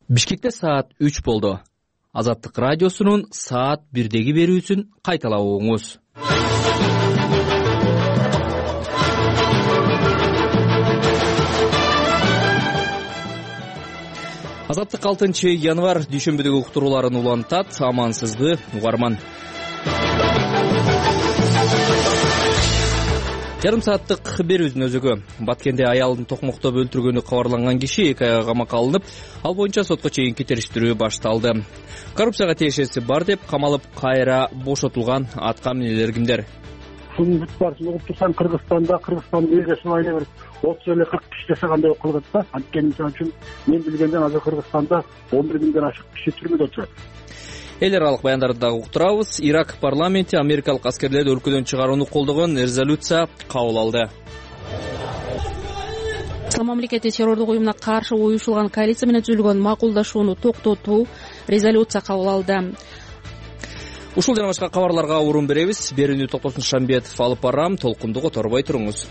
Бишкекте саат 3 болду. Азаттык радиосунун саат 1деги берүүсүн кайталап угуңуз. Азаттык 6 январь дүйшөмбүдөгү уктурууларын улантат. Амансызбы угарман. Жарым сааттык берүүбүздүн өзөгү. Баткенде аялын токмоктоп өлтүргөнү кабарланган киши 2 айга камакка алынып, ал боюнча сотко чейинки териштирүү башталды. Коррупцияга тиешеси бар деп камалып, кайра бошотулган аткаминерлер кимдер? Шунун бүт баарысын угуп турсам, Кыргызстандын элге эле бир 30 эле 40 киши жашагандай болуп калат да. Анткени мисалы үчүн мен билгенден азыр Кыргызстанда 11 миңден ашык киши түрмөдө отурат. Эл аралык баяндарды дагы уктурабыз. Ирак парламенти америкалык аскерлерди өлкөдөн чыгарууну колдогон резолюция кабыл алды. Ислам мамлекети террордук уюмуна каршы уюшулган коалиция менен түзүлгөн макулдашууну токтотуу резолюция кабыл алды. Ушул жана башка кабарларга орун беребиз. Берүүнү Токтосун Шамбетов алып барам. Толкунду которбой туруңуз.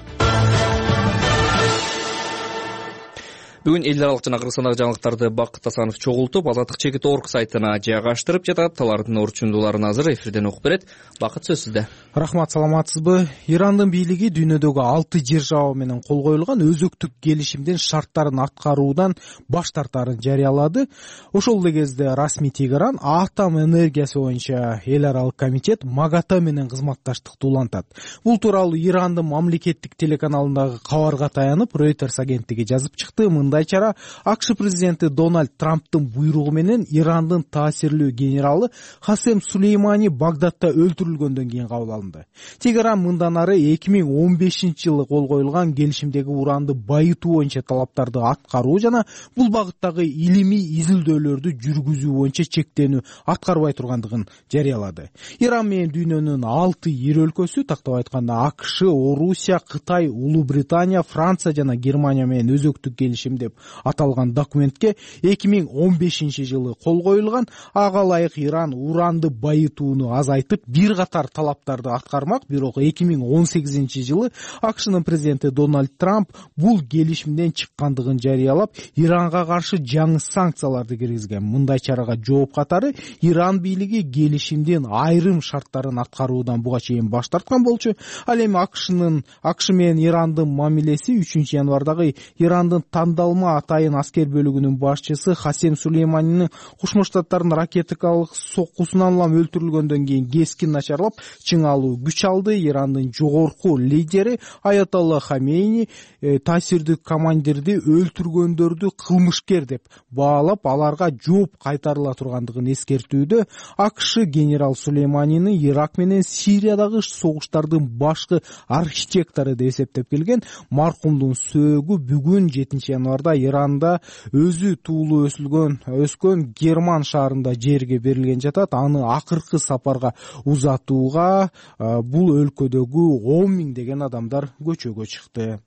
Бүгүн эл аралык жана Кыргызстандагы жаңылыктарды Бакыт Асанов чогултуп, Азаттык Чекит.org сайтына жайгаштырып жатат. Алардын орчундууларын азыр эфирден окуп берет. Бакыт, сөз сизде. Рахмат, саламатсызбы? Ирандын бийлиги дүйнөдөгү 6 держава менен кол коюлган өзөктүк келишимдин шарттарын аткаруудан баш тартаарын жарыялады. Ошол эле кезде расмий Тегеран атом энергиясы боюнча эл аралык комитет МАГАТА менен кызматташтыкты улантат. Бул тууралуу Ирандын мамлекеттик телеканалындагы кабарга таянып, Reuters агенттиги жазып чыкты. Чара АКШ президенти Дональд Трамптын буйругу менен Ирандын таасирлүү генералы Хасем Сулеймани Багдадта өлтүрүлгөндөн кийин кабыл алынды. Тегеран мындан ары 2015-жылы кол коюлган келишимдеги уранды байытуу боюнча талаптарды аткаруу жана бул багыттагы илимий изилдөөлөрдү жүргүзүү боюнча чектенүү аткарбай тургандыгын жарыялады. Иран менен дүйнөнүн 6 ири өлкөсү, тактап айтканда АКШ, Орусия, Кытай, Улуу Британия, Франция жана Германия менен өзөктүк келишим деп аталган документке 2015-жылы кол коюлган. Ага ылайык Иран уранды байытууну азайтып, бир катар талаптарды аткармак. Бирок 2018-жылы АКШнын президенти Дональд Трамп бул келишимден чыккандыгын жарыялап, Иранга каршы жаңы санкцияларды киргизген. Мындай чарага жооп катары Иран бийлиги келишимдин айрым шарттарын аткаруудан буга чейин баш тарткан болчу. Ал эми АКШ менен Ирандын мамилеси 3 январдагы Ирандын тандалма атайын аскер бөлүгүнүн башчысы Хасем Сулейманинин Кошмо Штаттардын ракетикалык соккусунан улам өлтүрүлгөндөн кийин кескин начарлап, чыңалуу күч алды. Ирандын жогорку лидери Аятолла Хамейни таасирдүү командирди өлтүргөндөрдү кылмышкер деп баалап, аларга жооп кайтарыла тургандыгын эскертүүдө. АКШ генерал Сулейманини Ирак менен Сириядагы согуштардын башкы архитектору деп эсептеп келген. Маркумдун сөөгү бүгүн 7 январда Иранда өзү туулуу өскөн Герман шаарында жерге берилген жатат. Аны акыркы сапарга узатууга бул өлкөдөгү 10 миңдеген адамдар көчөгө чыкты.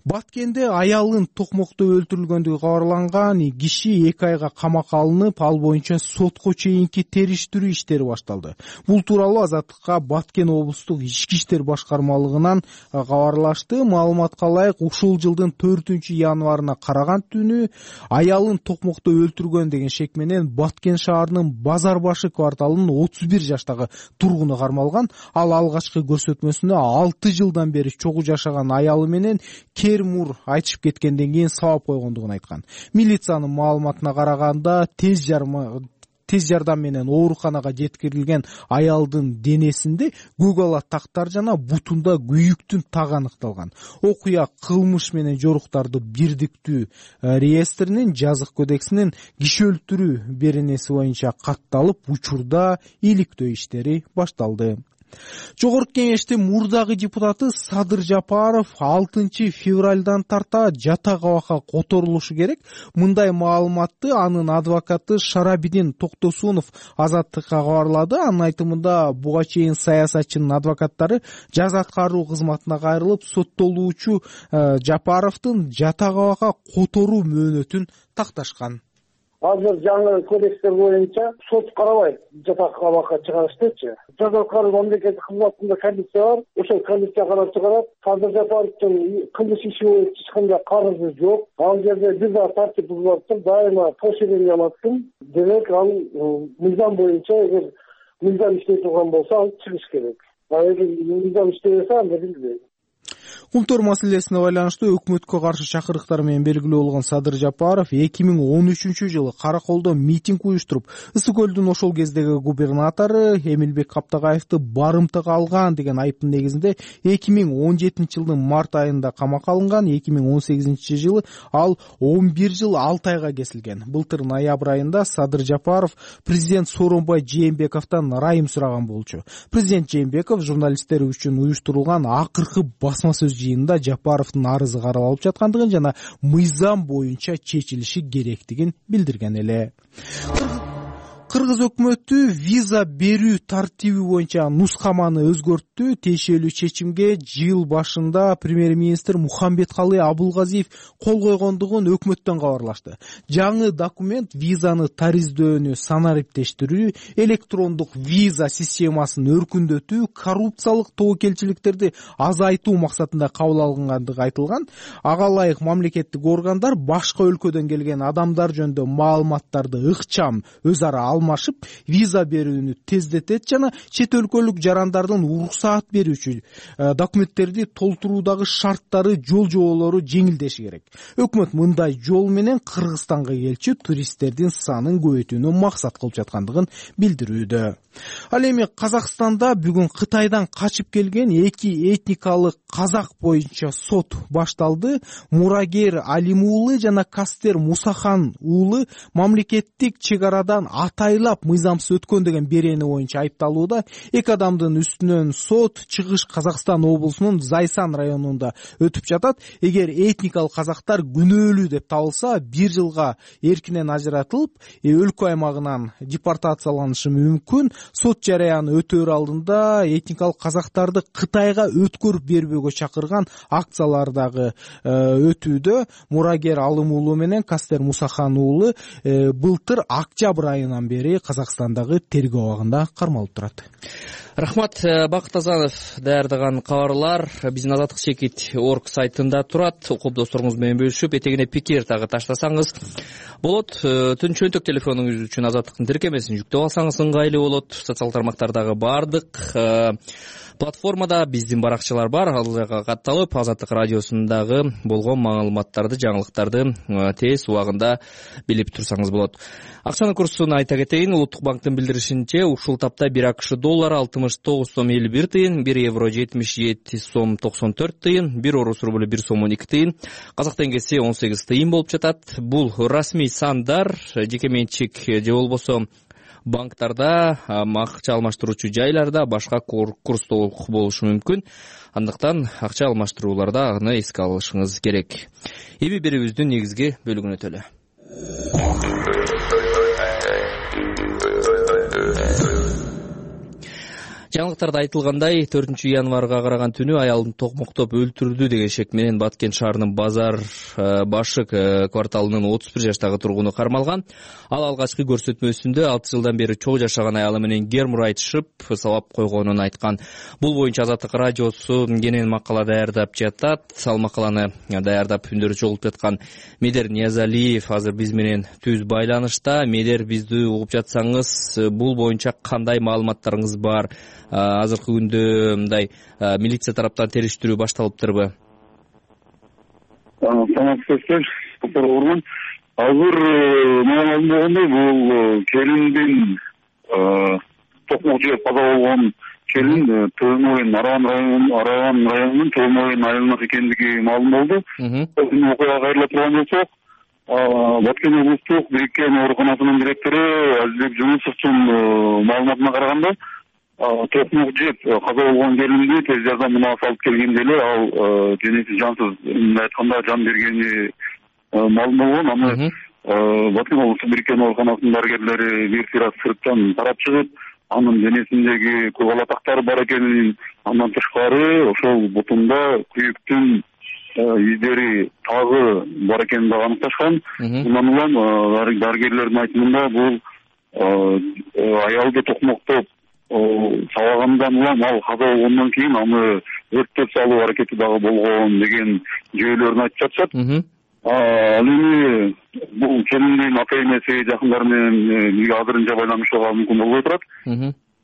Баткенде аялын токмоктоп өлтүрүлгөндүгү кабарланган киши 2 айга камакка алынып, ал боюнча сотко чейинки териштирүү иштери башталды. Бул тууралуу Азаттыкка Баткен облустук ички иштер башкармалыгынан кабарлашты. Маалыматка ылайык, ушул жылдын 4-январына караган түнү аялын токмоктоп өлтүргөн деген шек менен Баткен шаарынын Базар башы кварталынын 31 жаштагы тургуну кармалган. Ал алгачкы көрсөтмөсүндө 6 жылдан бери чогуу жашаган аялы менен Кермур айтышып кеткенден кийин сабап койгондугун айткан. Милициянын маалыматына караганда тез жардам менен ооруканага жеткирилген аялдын денесинде көк тактар жана бутунда күйүктүн тагы аныкталган. Окуя кылмыш менен жоруктарды бирдиктүү реестринин жазык кодексинин киши өлтүрүү беренеси боюнча катталып, учурда иликтөө иштери башталды. Жогорку кеңештин мурдагы депутаты Садыр Жапаров 6 февралдан тарта жатак абакка которулушу керек. Мындай маалыматты анын адвокаты Шарабидин Токтосунов Азаттыкка кабарлады. Анын айтымында, буга чейин саясатчынын адвокаттары жаза аткаруу кызматына кайрылып, соттолуучу Жапаровдун жатак абакка которуу мөөнөтүн такташкан. азыр жаңы кодекстер боюнча сот карабайт жатак абакка чыгарыштычы. Жаза аткаруу мамлекеттик кызматында комиссия бар. Ошол комиссия карап чыгарат. Садыр Жапаровдун кылмыш иши боюнча эч кандай карызы жок. Ал жерде бир да тартип бузулуптур, дайыма поощрение алаттым. Демек ал мыйзам боюнча эгер мыйзам иштей турган болсо ал чыгыш керек. Эгер мыйзам иштебесе анда билбейм. Кумтөр маселесине байланыштуу өкмөткө каршы чакырыктар менен белгилүү болгон Садыр Жапаров 2013-жылы Караколдо митинг уюштуруп, Ысык көлдүн ошол кездеги губернатору Эмилбек Каптагаевди барымтага алган деген айыптын негизинде 2017-жылдын март айында камакка алынган. 2018-жылы ал 11 жыл 6 айга кесилген. Былтыр ноябрь айында Садыр Жапаров президент Сооронбай Жээнбековдон ырайым сураган болчу. Президент Жээнбеков журналисттер үчүн уюштурулган акыркы басма сөз жыйынында Жапаровдун арызы каралып жаткандыгын жана мыйзам боюнча чечилиши керектигин билдирген эле. Кыргыз өкмөтү виза берүү тартиби боюнча нускаманы өзгөрттү. Тиешелүү чечимге жыл башында премьер-министр Мухамбеткалый Абулгазиев кол койгондугун өкмөттөн кабарлашты. Жаңы документ визаны тариздөөнү санариптештирүү, электрондук виза системасын өркүндөтүү, коррупциялык тобокелчиликтерди азайтуу максатында кабыл алынгандыгы айтылган. Ага ылайык мамлекеттик органдар башка өлкөдөн келген адамдар жөнүндө маалыматтарды ыкчам өз ара алмашып, виза берүүнү тездетет жана чет өлкөлүк жарандардын уруксаат берүүчү документтерди толтуруудагы шарттары, жол жоболору жеңилдеши керек. Өкмөт мындай жол менен Кыргызстанга келчү туристтердин санын көбөйтүүнү максат кылып жаткандыгын билдирүүдө. Ал эми Казакстанда бүгүн Кытайдан качып келген 2 этникалык казак боюнча сот башталды. Мурагер Алим уулу жана Кастер Мусахан уулу мамлекеттик чек арадан атайлап мыйзамсыз өткөн деген берени боюнча айыпталууда. 2 адамдын үстүнөн сот Чыгыш Казакстан облусунун Зайсан районунда өтүп жатат. Эгер этникалык казактар күнөөлүү деп табылса, 1 жылга эркинен ажыратылып, өлкө аймагынан депортацияланышы мүмкүн. Сот жараяны өтөөр алдында этникалык казактарды Кытайга өткөрүп бербөөгө чакырган акциялар дагы өтүүдө. Мурагер Алым уулу менен Кастер Мусахан уулу былтыр октябрь айынан бери Казакстандагы тергөө абагында кармалып турат. Рахмат. Бакыт Азанов даярдаган кабарлар биздин Азаттык чекит орг сайтында турат. Окуп досторуңуз менен бөлүшүп, этегине пикир дагы таштасаңыз болот. Түн чөнтөк телефонуңуз үчүн Азаттыктын тиркемесин жүктөп алсаңыз ыңгайлуу болот. Социалдык тармактардагы бардык платформада биздин баракчалар бар. Ал жака катталып, Азаттык радиосундагы болгон маалыматтарды, жаңылыктарды тез убагында билип турсаңыз болот. Акчанын курсун айта кетейин. Улуттук банктын билдиришинче, ушул тапта 1 АКШ доллары 69 сом 51 тыйын, 1 евро 77 сом 94 тыйын, 1 орус рубль 1 сом 12 тыйын, казак теңгеси 18 тыйын болуп жатат. Бул расмий сандар. Жеке менчик же болбосо банктарда, акча алмаштыруучу жайларда башка курстолук болушу мүмкүн. Андыктан акча алмаштырууларда аны эске алышыңыз керек. Эми берүүбүздүн негизги бөлүгүнө өтөлү. Жаңылыктарда айтылгандай, 4-январга караган түнү аялын токмоктоп өлтүрдү деген шек менен Баткен шаарынын Базар башык кварталынын 31 жаштагы тургуну кармалган. Ал алгачкы көрсөтмөсүндө 6 жылдан бери чогуу жашаган аялы менен гермур айтышып, сабап койгонун айткан. Бул боюнча Азаттык радиосу кенен макала даярдап жатат. Ал макаланы даярдап үндөрү чогултуп жаткан Медер Ниязалиев азыр биз менен түз байланышта. Медер, бизди угуп жатсаңыз, бул боюнча кандай маалыматтарыңыз бар? Азыркы күндө мындай милиция тараптан териштирүү башталыптырбы? Саламатсыздар, Ормон. Азыр маалым болгондой, бул келиндин токмок жеп каза болгон келин Төмөйүн Араган районунун Төмөйүн айылынын экендиги маалым болду. Бул окуяга кайрыла турган болсок, Баткен облустук бириккен ооруканасынын директору Азизбек Жунусовдун маалыматына караганда, токмок жеп каза болгон келинди тез жардам мунаасы алып келгенде эле ал денеси жансыз, айтканда жан бергени маалым болгон. Аны Баткен облустук бириккен ооруканасынын дарыгерлери бир сыйра сырттан карап чыгып, анын денесиндеги кургалатактар бар экенин, андан тышкары ошол бутунда күйүктүн издери дагы бар экенин дагы аныкташкан. Мындан улам дарыгерлердин айтымында бул аялды токмоктоп сабагандан улам ал каза болгондон кийин аны өрттөп салуу аракети дагы болгон деген жүйөлөрүн айтып жатышат. Ал эми бул келиндин ата энеси жакындары менен бирге азырынча байланышууга мүмкүн болбой турат.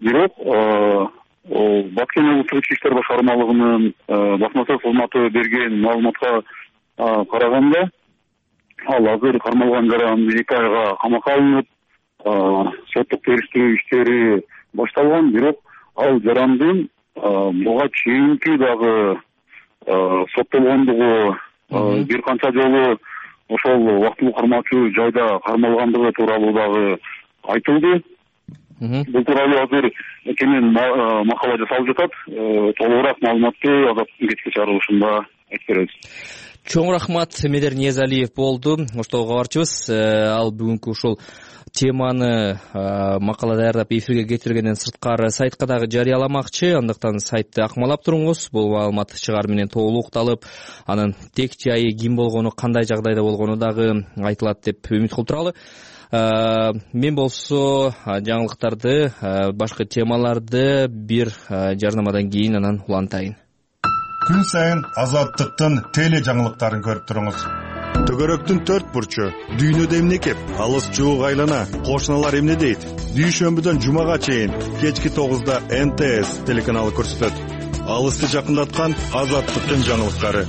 Бирок Баткен облустук ички иштер башкармалыгынын басма сөз кызматы берген маалыматка караганда, ал азыр кармалган жаран 2 айга камакка алынып, соттук териштирүү иштери башталган. Бирок ал жарандын буга чейинки дагы соттолгондугу, бир канча жолу ошол убактылуу кармоочу жайда кармалгандыгы тууралуу дагы айтылды. Бул тууралуу азыр кенен макала жасалып жатат. Толугураак маалыматты Азаттыктын кечки чыгарылышында айтып беребиз. Чоң рахмат, Медер Ниязалиев болду. Оштогу кабарчыбыз. Ал бүгүнкү ушул теманы макала даярдап эфирге кетиргенден сырткары сайтка дагы жарыяламакчы. Андыктан сайтты акмалап туруңуз. Бул маалымат чыгар менен толук укталып, анын тек жайы ким болгону, кандай жагдайда болгону дагы айтылат деп үмүт кылып туралы. Мен болсо жаңылыктарды, башка темаларды бир жарнамадан кийин анан улантайын. Күн сайын Азаттыктын теле жаңылыктарын көрүп туруңуз. Төгөрөктүн 4 бурчу, дүйнөдө эмне кеп, алыс жуук айлана, кошуналар эмне дейт? Дүйшөмбүдөн жумага чейин кечки 9да НТС телеканалы көрсөтөт. Алысты жакындаткан Азаттыктын жаңылыктары.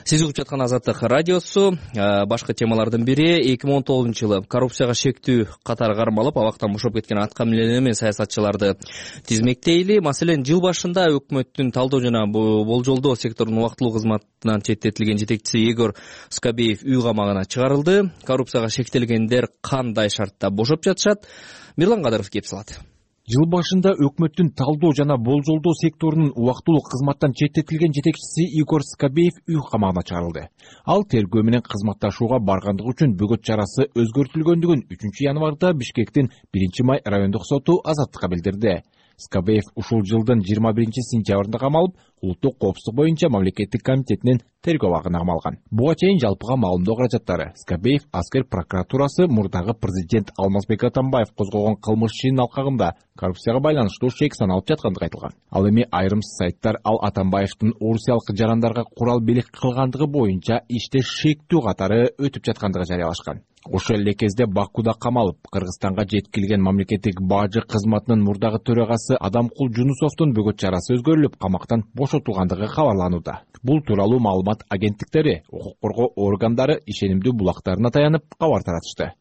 Сиз угуп жаткан Азаттык радиосу. Башка темалардын бири 2019-жылы коррупцияга шектүү катары кармалып, абактан бошоп кеткен аткаминерлер менен саясатчыларды тизмектейли. Маселен, жыл башында өкмөттүн талдоо жана болжолдоо секторунун убактылуу кызматынан четтетилген жетекчиси Игорь Скобеев үй камагына чыгарылды. Коррупцияга шектелгендер кандай шартта бошоп жатышат? Мирлан Кадыров кеп салат. Жыл башында өкмөттүн талдоо жана болжолдоо секторунун убактылуу кызматтан четтетилген жетекчиси Игорь Скобеев үй камагына чыгарылды. Ал тергөө менен кызматташууга баргандыгы үчүн бөгөт чарасы өзгөртүлгөндүгүн 3 январда Бишкектин 1 май райондук соту Азаттыкка билдирди. Скобеев ушул жылдын 21 сентябрында камалып, улуттук коопсуздук боюнча мамлекеттик комитетинин тергөө абагына камалган. Буга чейин жалпыга маалымдоо каражаттары Скобеев аскер прокуратурасы мурдагы президент Алмазбек Атамбаев козгогон кылмыш ишинин алкагында коррупцияга байланыштуу шек саналып жаткандыгы айтылган. Ал эми айрым сайттар ал Атамбаевдин орусиялык жарандарга курал белек кылгандыгы боюнча иште шектүү катары өтүп жаткандыгы жарыялашкан. Ошол эле кезде Бакуда камалып, Кыргызстанга жеткирилген мамлекеттик бажы кызматынын мурдагы төрагасы Адамкул Жунусовдун бөгөт чарасы өзгөрүлүп, камактан бошотулгандыгы кабарланууда. Бул тууралуу маалымат агенттиктери, укук коргоо органдары ишенимдүү булактарына таянып кабар таратышты.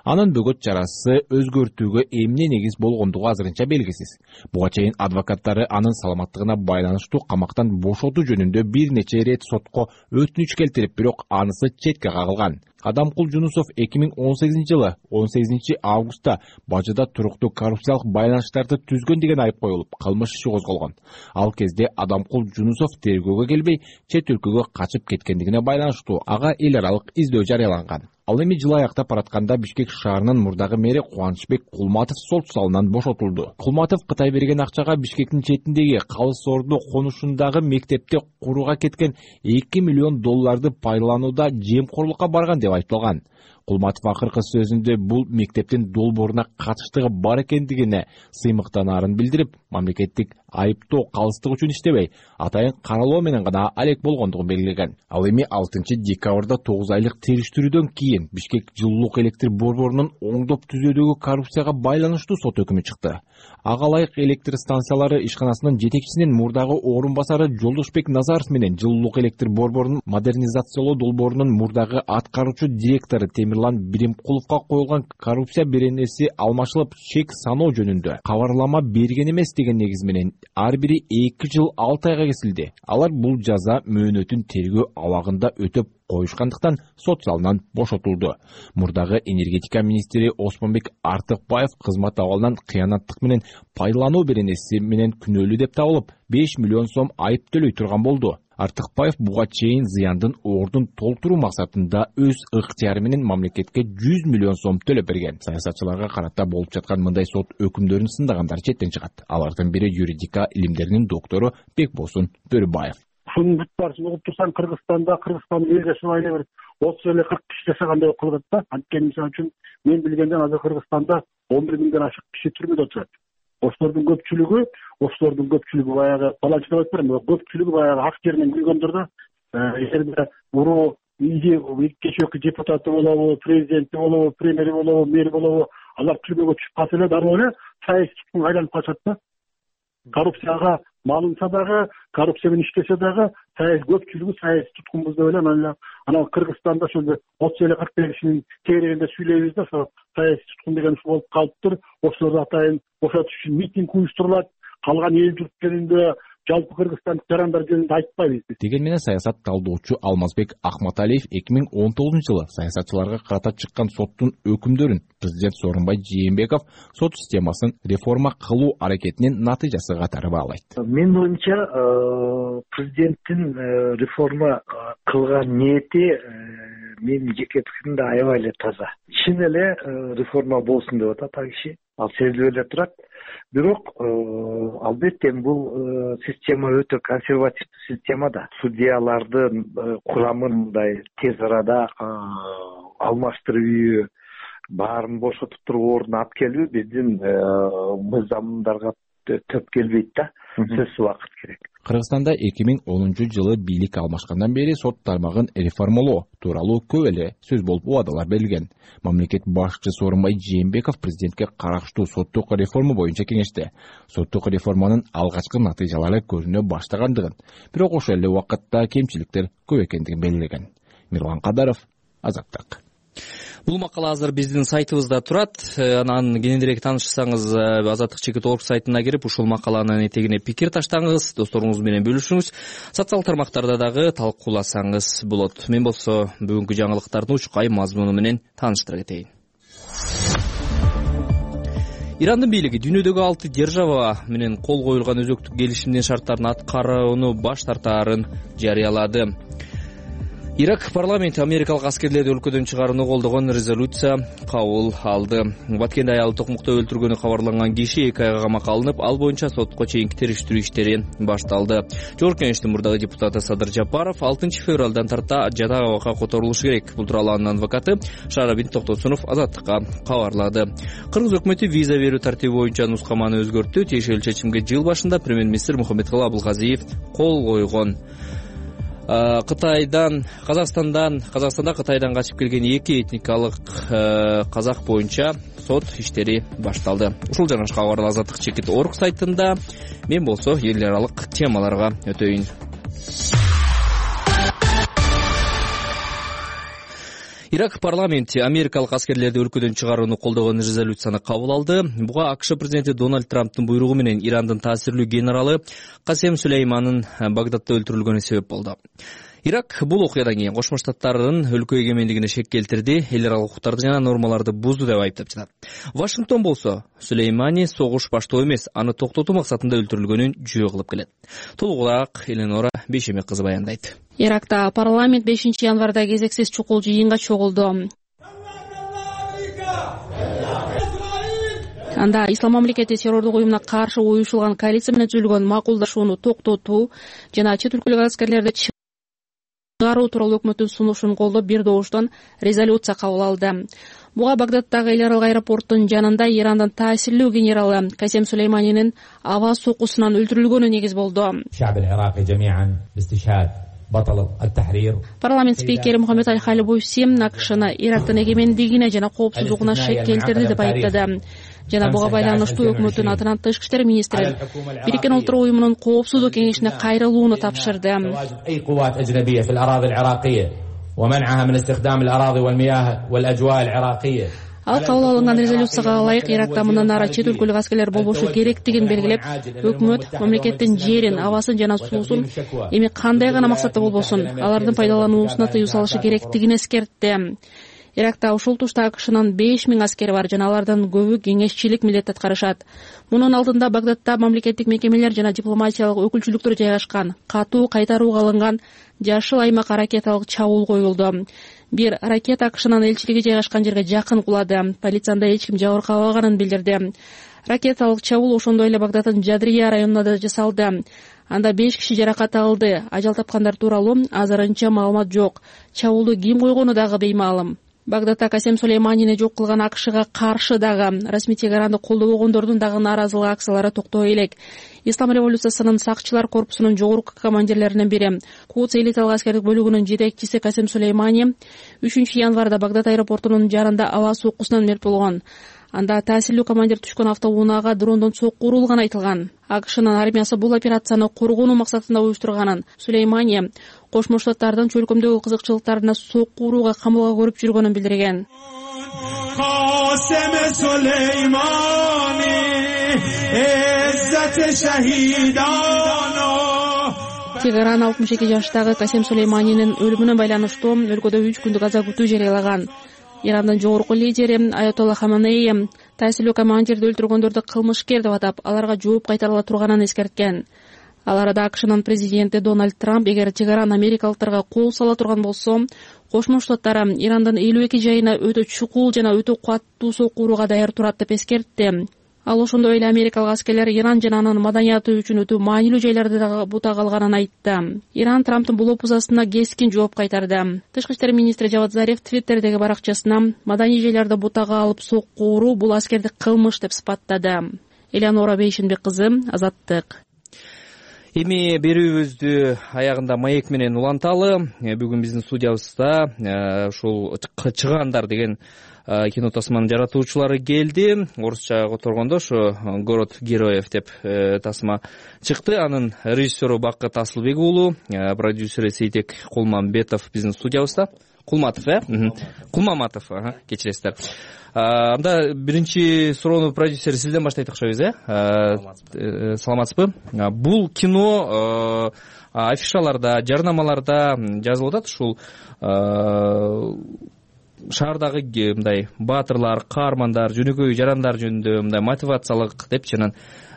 Анын бөгөт чарасы өзгөртүүгө эмне негиз болгондугу азырынча белгисиз. Буга чейин адвокаттары анын саламаттыгына байланыштуу камактан бошотуу жөнүндө бир нече ирет сотко өтүнүч келтирип, бирок анысы четке кагылган. Адамкул Жунусов 2018-жылы 18 августта бажыда туруктуу коррупциялык байланыштарды түзгөн деген айып коюлуп, кылмыш иши козголгон. Ал кезде Адамкул Жунусов тергөөгө келбей, чет өлкөгө качып кеткендигине байланыштуу ага эл аралык издөө жарыяланган. Ал эми жыл аяктап баратканда Бишкек шаарынын мурдагы мэри Кубанычбек Кулматов сот залынан бошотулду. Кулматов Кытай берген акчага Бишкектин четиндеги Калыс Орду конушундагы мектепте курууга кеткен $2 миллион пайдаланууда жемкорлукка барган деп айтылган. Кулматов акыркы сөзүндө бул мектептин долбооруна катыштыгы бар экендигине сыймыктанаарын билдирип, мамлекеттик айыптоо калыстык үчүн иштебей, атайын каралоо менен гана алек болгондугун белгилеген. Ал эми 6 декабрда 9 айлык териштирүүдөн кийин Бишкек жылуулук электр борборунун оңдоп түзүүдөгү коррупцияга байланыштуу сот өкүмү чыкты. Ага ылайык электр станциялары ишканасынын жетекчисинин мурдагы орун басары Жолдошбек Назаров менен жылуулук электр борборунун модернизациялоо долбоорунун мурдагы аткаруучу директору Темирлан Биримкуловго коюлган коррупция беренеси алмашылып, чек саноо жөнүндө кабарлама берген эмес деген негиз менен ар бири 2 жыл 6 айга кесилди. Алар бул жаза мөөнөтүн тергөө абагында өтөп коюшкандыктан сот залынан бошотулду. Мурдагы энергетика министри Осмонбек Артыкбаев кызмат абалынан кыянаттык менен пайдалануу беренеси менен күнөөлүү деп табылып, $5 миллион айып төлөй турган болду. Артыкбаев буга чейин зыяндын ордун толтуруу максатында өз ыктыяры менен мамлекетке 100 миллион сом төлөп берген. Саясатчыларга карата болуп жаткан мындай сот өкүмдөрүн сындагандар четтен чыгат. Алардын бири юридика илимдеринин доктору Бекбосун Бөрүбаев. Ушунун бүт баарысын угуп турсаң, Кыргызстандын эл жашоо эле бир 30 эле 40 киши жашагандай болуп калат да. Анткени мисалы үчүн мен билгенден азыр Кыргызстанда 11 миңден ашык киши түрмөдө отурат. Ошолордун көпчүлүгү баягы баланчы деп айтпайм, көпчүлүгү баягы ак жеринен күйгөндөр да. Эгерде уруу кечээки депутаты болобу, президенти болобу, премьери болобу, мэри болобу, алар түрмөгө түшүп калса эле дароо эле саясий туткунга айланып калышат да. Коррупцияга малынса дагы, коррупция менен иштесе дагы көпчүлүгү саясий туткунбуз деп эле анан Кыргызстанда ошол 30 эле 40 кишинин тегерегинде сүйлөйбүз да, ошо саясий туткун деген ушул болуп калыптыр. Ошолорду атайын бошотуш үчүн митинг уюштурулат. Калган эл журт жөнүндө, жалпы Кыргызстандык жарандар жөнүндө айтпайбыз. Деген менен саясат талдоочу Алмазбек Акматалиев 2019-жылы саясатчыларга карата чыккан соттун өкүмдөрүн президент Сооронбай Жээнбеков сот системасын реформа кылуу аракетинин натыйжасы катары баалайт. Менин оюмча, президенттин реформа кылган ниети менин жеке пикиримде аябай эле таза. Чын эле реформа болсун деп атат ал киши. Ал сезилип эле турат. Бирок албетте бул система өтө консервативдүү система да. Судьялардын курамын мындай тез арада алмаштыруу, баарын бошотуп туруп ордуна алып келүү биздин мыйзамдарга төп келбейт да. Сөзсүз убакыт керек. Кыргызстанда 2010-жылы бийлик алмашкандан бери сот тармагын реформалоо тууралуу көп эле сөз болуп убадалар берилген. Мамлекет башчысы Сооронбай Жээнбеков президентке караштуу соттук реформа боюнча кеңеште соттук реформанын алгачкы натыйжалары көрүнө баштагандыгын, бирок ошол эле убакытта кемчиликтер көп экендигин белгилеген. Мирлан Кадаров, Азаттык. Бул макала азыр биздин сайтыбызда турат. Анан кененирээк таанышсаңыз azattik.org сайтына кирип ушул макаланын этегине пикир таштаңыз, досторуңуз менен бөлүшүңүз. Социалдык тармактарда дагы талкууласаңыз болот. Мен болсо бүгүнкү жаңылыктардын учкай мазмуну менен тааныштыра кетейин. Ирандын бийлиги дүйнөдөгү 6 держава менен кол коюлган өзөктүк келишимдин шарттарын аткарууну баш тартаарын жарыялады. Ирак парламенти америкалык аскерлерди өлкөдөн чыгарууну колдогон резолюция кабыл алды. Баткенде аялы токмокто өлтүргөнү кабарланган киши 2 айга камакка алынып, ал боюнча сотко чейинки териштирүү иштери башталды. Жогорку Кеңештин мурдагы депутаты Садыр Жапаров 6 февралдан тарта жада абакка которулушу керек. Бул тууралуу анын адвокаты Шаарабин Токтосунов Азаттыкка кабарлады. Кыргыз өкмөтү виза берүү тартиби боюнча нускаманы өзгөрттү. Тиешелүү чечимге жыл башында премьер-министр Мухаммедкалый Абылгазиев кол койгон. Казакстанда Кытайдан качып келген 2 этникалык казак боюнча сот иштери башталды. Ушул жана башка кабарлар azattik.org сайтында. Мен болсо эл аралык темаларга өтөйүн. Ирак парламенти америкалык аскерлерди өлкөдөн чыгарууну колдогон резолюцияны кабыл алды. Буга АКШ президенти Дональд Трамптын буйругу менен Ирандын таасирлүү генералы Касем Сулейманын Багдадда өлтүрүлгөнү себеп болду. Ирак бул окуядан кийин Кошмо Штаттардын өлкө эгемендигине шек келтирди, эл аралык укуктарды жана нормаларды бузду деп айыптап жатат. Вашингтон болсо Сулеймани согуш баштоо эмес, аны токтотуу максатында өлтүрүлгөнүн жөө кылып келет. Толугураак Эленора Бейшемек кызы баяндайт. Иракта парламент 5-январда кезексиз чукул жыйынга чогулду. Анда Ислам мамлекети террордук уюмуна каршы уюшулган коалиция менен түзүлгөн макулдашууну токтотуу жана чет өлкөлүк аскерлерди чыгаруу тууралуу өкмөттүн сунушун колдоп бир добуштан резолюция кабыл алды. Буга Багдаддагы эл аралык аэропорттун жанында Ирандын таасирлүү генералы Касем Сулейманинин аба сокусунан өлтүрүлгөнү негиз болду. Парламент спикери Мухаммед Аль-Халибуси АКШны Ирактын эгемендигине жана коопсуздугуна шек келтирди деп айыптады. Жана буга байланыштуу өкмөттүн атынан тышкы иштер министри Бириккен Улуттар уюмунун коопсуздук кеңешине кайрылууну тапшырды. Ал кабыл алынган резолюцияга ылайык Иракта мындан ары чет өлкөлүк аскерлер болбошу керектигин белгилеп, өкмөт мамлекеттин жерин, абасын жана суусун эми кандай гана максатта болбосун алардын пайдалануусуна тыюу салышы керектигин эскертти. Иракта ушул тушта АКШнын 5000 аскери бар жана алардын көбү кеңешчилик милдет аткарышат. Мунун алдында Багдадда мамлекеттик мекемелер жана дипломатиялык өкүлчүлүктөр жайгашкан катуу кайтарууга алынган жашыл аймак ракеталык чабуул коюлду. Бир ракета АКШнын элчилиги жайгашкан жерге жакын кулады. Полициянда эч ким жабыркабаганын билдирди. Ракеталык чабуул ошондой эле Багдаддын Жадрия районунда да жасалды. Анда 5 киши жаракат алды. Ажал тапкандар тууралуу азырынча маалымат жок. Чабуулду ким койгону дагы беймаалым. Багдадда Касем Сулейманини жок кылган АКШга каршы дагы расмий Тегеранды колдобогондордун дагы нааразылык акциялары токтой элек. Ислам революциясынын сакчылар корпусунун жогорку командирлеринин бири, Кудс элиталык аскердик бөлүгүнүн жетекчиси Касем Сулеймани 3 январда Багдад аэропортунун жарында аба соккусунан мерт болгон. Анда таасирлүү командир түшкөн автоунаага дрондон сокку урулганы айтылган. АКШнын армиясы бул операцияны коргонуу максатында уюштурганын, Сулеймани Кошмо Штаттардын чөлкөмдөгү кызыкчылыктарына сокку урууга камылга көрүп жүргөнүн билдирген. Тегеран 62 жаштагы Касем Сулейманинин өлүмүнө байланыштуу өлкөдө 3 күндүк аза күтүү жарыялаган. Ирандын жогорку лидери Аятолла Хаманеи таасирлүү командирди өлтүргөндөрдү кылмышкер деп атап, аларга жооп кайтарыла турганын эскерткен. Ал арада АКШнын президенти Дональд Трамп эгер Тегеран америкалыктарга кол сала турган болсо, Кошмо Штаттар Ирандын 52 жайына өтө чукул жана өтө каттуу сокку урууга даяр турат деп эскертти. Ал ошондой эле америкалык аскерлер Иран жана анын маданияты үчүн өтө маанилүү жайларды дагы бута калганын айтты. Иран Трамптын бул опузасына кескин жооп кайтарды. Тышкы иштер министри Жавад Зариф Твиттердеги баракчасына маданий жайларды бутага алып сокку уруу бул аскердик кылмыш деп сыпаттады. Элеонора Бейшенбек кызы, Азаттык. Эми берүүбүздү аягында маек менен уланталы. Бүгүн биздин студиябызда ушул Чыгандар деген кино тасманын жаратуучулары келди. Орусча которгондо ошо Город героев деп тасма чыкты. Анын режиссеру Бакыт Асылбек уулу, продюсери Сейтек Кулмамбетов биздин студиябызда. Кулматов, Кулмаматов, кечиресиздер. Анда биринчи суроону продюсер сизден баштайт окшойбуз, саламатсызбы? Бул кино афишаларда, жарнамаларда жазылып атат, ушул шаардагы мындай баатырлар, каармандар, жөнөкөй жарандар жөнүндө мындай мотивациялык депчи, анан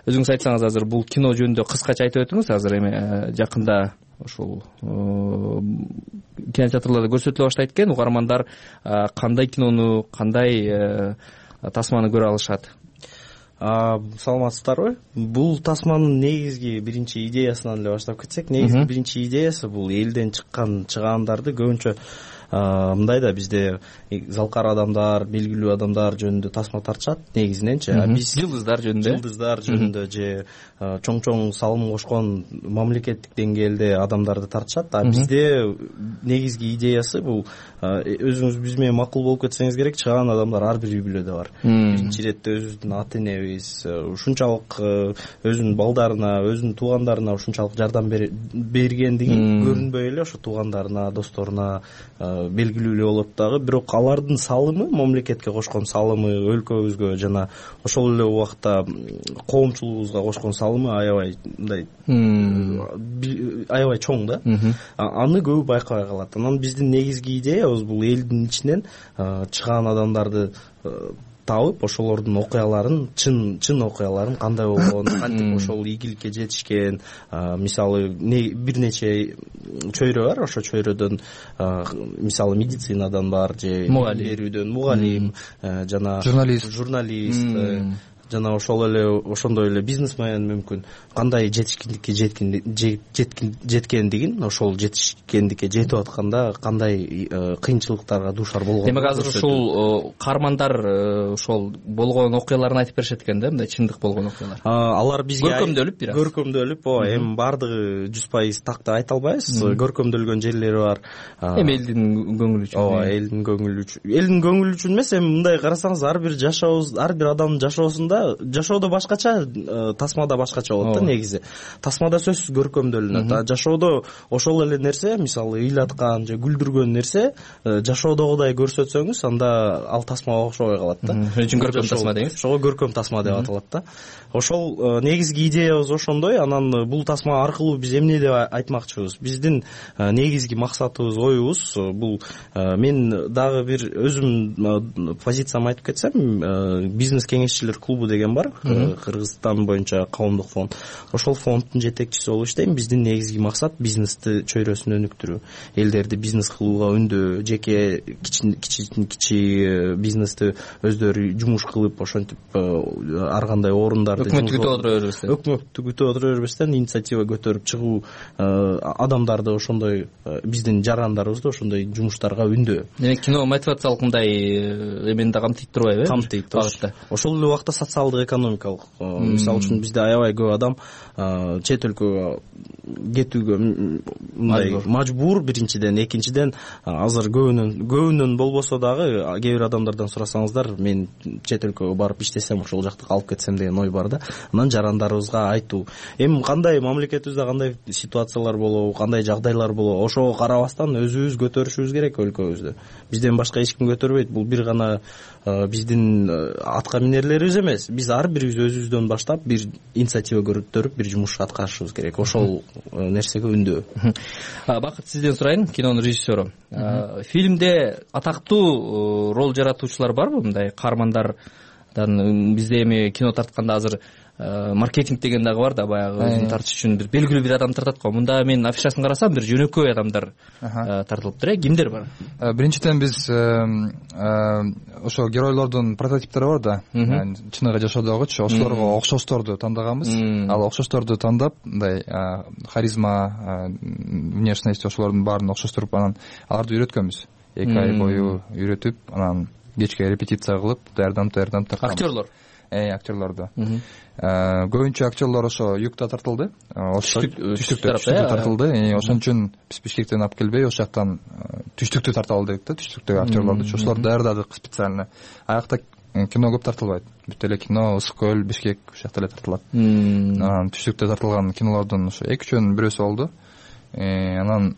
өзүңүз айтсаңыз азыр бул кино жөнүндө кыскача айтып өтүңүз. Азыр эми жакында ушул кинотеатрларда көрсөтүлө баштайт экен. Угармандар кандай кинону, кандай тасманы көрө алышат? Саламатсыздарбы? Бул тасманын негизги биринчи идеясынан эле баштап кетсек, негизги биринчи идеясы бул элден чыккан чыгаандарды көбүнчө мындай да бизде залкар адамдар, белгилүү адамдар жөнүндө тасма тартышат негизиненчи. Биз жылдыздар жөнүндө же чоң салым кошкон мамлекеттик деңгээлде адамдарды тартышат. Бизде негизги идеясы бул, өзүңүз биз менен макул болуп кетсеңиз керек, чыган адамдар ар бир үй бүлөдө бар. Биринчи иретте өзүбүздүн ата энебиз ушунчалык өзүнүн балдарына, өзүнүн туугандарына ушунчалык жардам бергендиги көрүнбөй эле ошо туугандарына, досторуна белгилүү эле болот дагы. Бирок алардын салымы, мамлекетке кошкон салымы, өлкөбүзгө жана ошол эле убакта коомчулугубузга кошкон салымы аябай мындай аябай чоң да. Аны көбү байкабай калат. Анан биздин негизги идеябыз бул элдин ичинен чыган адамдарды табып, ошолордун окуяларын, чын окуяларын кандай болгон, кантип ошол ийгиликке жетишкен, мисалы бир нече чөйрө бар, ошо чөйрөдөн мисалы медицинадан бар, же берүүдөн мугалим, жана журналист, жана ошондой эле бизнесмен мүмкүн кандай жетишкендикке жеткендигин, ошол жетишкендикке жетип атканда кандай кыйынчылыктарга дуушар болгон. Демек азыр ушул каармандар ошол болгон окуяларын айтып беришет экен да, мындай чындык болгон окуялар. Алар бизге көркөмдөлүп, эми баардыгы 100% так деп айта албайбыз. Көркөмдөлгөн жерлери бар. Эми элдин көңүлү үчүн. Элдин көңүлү үчүн эмес, эми мындай карасаңыз ар бир адамдын жашоосунда да. Жашоодо башкача, тасмада башкача болот да негизи. Тасмада сөзсүз көркөмдөлүнөт. Жашоодо ошол эле нерсе, мисалы ыйлаткан же күлдүргөн нерсе жашоодогудай көрсөтсөңүз, анда ал тасмага окшобой калат да. Ошон үчүн көркөм тасма деңиз. Ошого көркөм тасма деп аталат да. Ошол негизги идеябыз ошондой. Анан бул тасма аркылуу биз эмне деп айтмакчыбыз? Биздин негизги максатыбыз, оюбуз бул, мен дагы бир өзүм позициямды айтып кетсем, бизнес кеңешчилер клубу деген бар, Кыргызстан боюнча коомдук фонд. Ошол фонддун жетекчиси болуп иштейм. Биздин негизги максат бизнести чөйрөсүн өнүктүрүү, элдерди бизнес кылууга үндөө, жеке кичи бизнести өздөрү жумуш кылып, ошентип ар кандай орундарды өкмөттү күтүп отура бербестен инициатива көтөрүп чыгуу, адамдарды ошондой биздин жарандарыбызды ошондой жумуштарга үндөө. Демек кино мотивациялык мындай эмени да камтыйт турбайбы? Камтыйт. Ошол эле убакта социалдык экономикалык, мисалы үчүн бизде аябай көп адам чет өлкөгө кетүүгө мындай мажбур. Биринчиден, экинчиден азыр көбүнөн болбосо дагы кээ бир адамдардан сурасаңыздар, мен чет өлкөгө барып иштесем, ошол жакта калып кетсем деген ой бар да. Анан жарандарыбызга айтуу, эми кандай мамлекетибизде кандай ситуациялар болобу, кандай жагдайлар болобу, ошого карабастан өзүбүз көтөрүшүбүз керек өлкөбүздү. Бизден башка эч ким көтөрбөйт. Бул бир гана биздин атка минерлерибиз эмес. Биз ар бирибиз өзүбүздөн баштап бир инициатива көтөрүп бир жумуш аткарышыбыз керек. Ошол нерсеге үндөө. Бакыт, сизден сурайын, кинонун режиссеру. Фильмде атактуу роль жаратуучулар барбы? Мындай каармандардан бизде эми кино тартканда азыр маркетинг деген дагы бар да, баягы өзүн тартыш үчүн бир белгилүү бир адам тартат го. Мында мен афишасын карасам, бир жөнөкөй адамдар тартылыптыр. Кимдер бар? Биринчиден биз ошо геройлордун прототиптери бар да, чыныгы жашоодогучу, ошолорго окшошторду тандаганбыз. Ал окшошторду тандап, мындай харизма, внешность ошолордун баарын окшоштуруп, анан аларды үйрөткөнбүз. 2 ай бою үйрөтүп, анан кечке репетиция кылып, даярданып тартканбыз. Актерлор? Актерлорду. Көбүнчө актерлор ошо юкта тартылды. Түштүктө тартылды. Ошон үчүн биз Бишкектен алып келбей, ошол жактан түштүктү тарталы дедик да, түштүктөгү актерлорду. Ошолорду даярдадык специально. Аякта кино көп тартылбайт. Бүт эле кино Ысык көл, Бишкек ошол жакта эле тартылат. Анан түштүктө тартылган кинолордун ошо 2-3 бирөөсү болду. Анан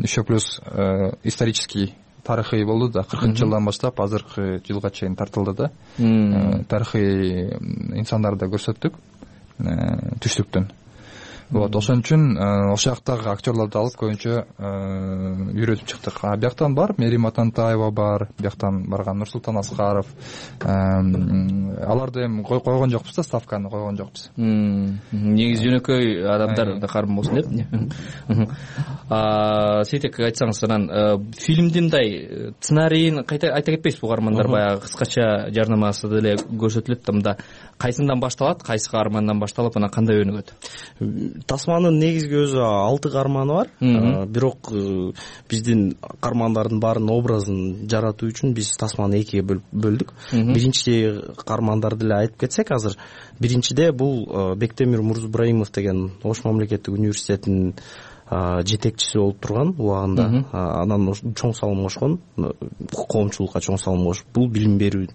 еще плюс исторический тарыхый болду да, 40-жылдан баштап азыркы жылга чейин тартылды да. Тарыхый инсандарды көрсөттүк түштүктөн. Вот, ошон үчүн ошол жактагы актерлорду алып көбүнчө үйрөтүп чыктык. Бияктан бар Мерим Атантаева бар, бияктан барган Нурсултан Аскаров. Аларды эми койгон жокпуз да, ставканы койгон жокпуз. Негизи жөнөкөй адамдар да карым болсун деп. Сейтек, айтсаңыз, анан фильмдин мындай сценарийин айта кетпейсизби? Каармандар баягы кыскача жарнамасы деле көрсөтүлөт да, мында кайсынан башталат, кайсы каармандан башталып, анан кандай өнүгөт? Тасманын негизги өзү 6 каарманы бар. Бирок биздин каармандардын баарынын образын жаратуу үчүн биз Тасманы 2-ге бөлдүк. Биринчи каармандарды эле айтып кетсек, азыр биринчиде бул Бектемир Мурзубраимов деген Ош мамлекеттик университетинин жетекчиси болуп турган убагында. Анан чоң салым кошкон, коомчулукка чоң салым кошуп, бул билим берүү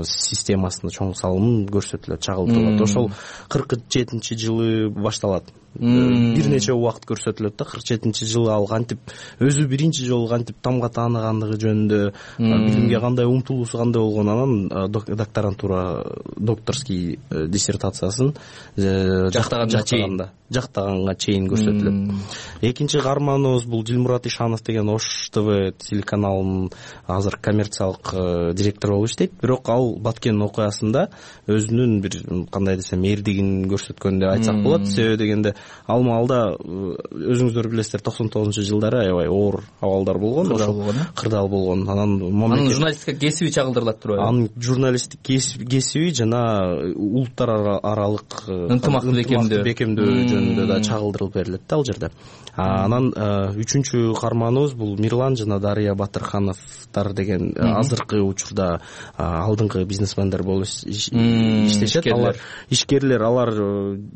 системасына чоң салым көрсөтүлөт, чагылдырылат. Ошол 47-жылы башталат. Бир нече убакыт көрсөтүлөт да. 47-жылы ал кантип өзү биринчи жолу кантип тамга тааныгандыгы жөнүндө, билимге кандай умтулуусу кандай болгон, анан докторантура, докторский диссертациясын жактаганга чейин көрсөтүлөт. Экинчи каарманыбыз бул Дилмурат Ишанов деген Ош ТВ телеканалынын азыр коммерциялык директору болуп иштейт. Бирок ал Баткен окуясында өзүнүн бир кандай десем эрдигин көрсөткөн деп айтсак болот. Себеби дегенде ал маалда өзүңүздөр билесиздер, 99-жылдары аябай оор абалдар болгон, кырдаал болгон. Анын журналистика кесиби чагылдырылат турбайбы? Анын журналисттик кесиби жана улуттар аралык ынтымакты бекемдөө жөнүндө да чагылдырылып берилет да ал жерде. Анан үчүнчү каарманыбыз бул Мирлан жана Дарыя Батырхановдор деген азыркы учурда алдыңкы бизнесмендер болуп иштешет. Алар ишкерлер, алар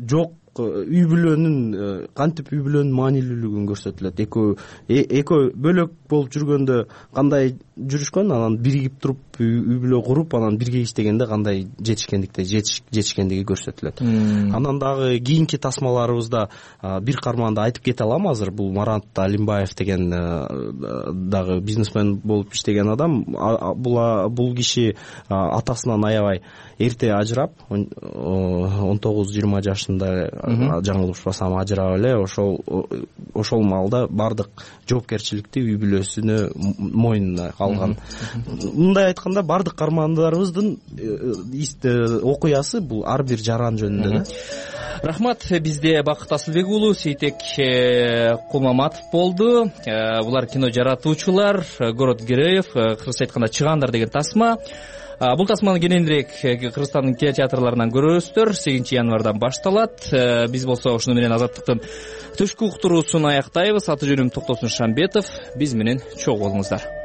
жок үй бүлөнүн кантип үй бүлөнүн маанилүүлүгүн көрсөтүлөт. Экөө бөлөк болуп жүргөндө кандай жүрүшкөн, анан биригип туруп үй бүлө куруп, анан бирге иштегенде кандай жетишкендиги көрсөтүлөт. Анан дагы кийинки тасмаларыбызда бир карманда айтып кете алам азыр. Бул Марат Алимбаев деген дагы бизнесмен болуп иштеген адам. Бул киши атасынан аябай эрте ажырап, 19-20 жашында жаңылышпасам ажырап эле, ошол маалда бардык жоопкерчиликти үй бүлөсүнө мойнуна алган. Мындай айтканда, бардык каармандарыбыздын окуясы бул ар бир жаран жөнүндө да. Рахмат. Бизде Бакыт Асылбек уулу, Сейтек Кулмаматов болду. Булар кино жаратуучулар. Город героев, кыргызча айтканда чыгандар деген тасма. Бул тасманы кененирээк Кыргызстандын кинотеатрларынан көрөсүздөр. 8 январдан башталат. Биз болсо ушуну менен Азаттыктын түшкү уктуруусун аяктайбыз. Аты жөнүм Токтосун Шамбетов. Биз менен чогуу болуңуздар.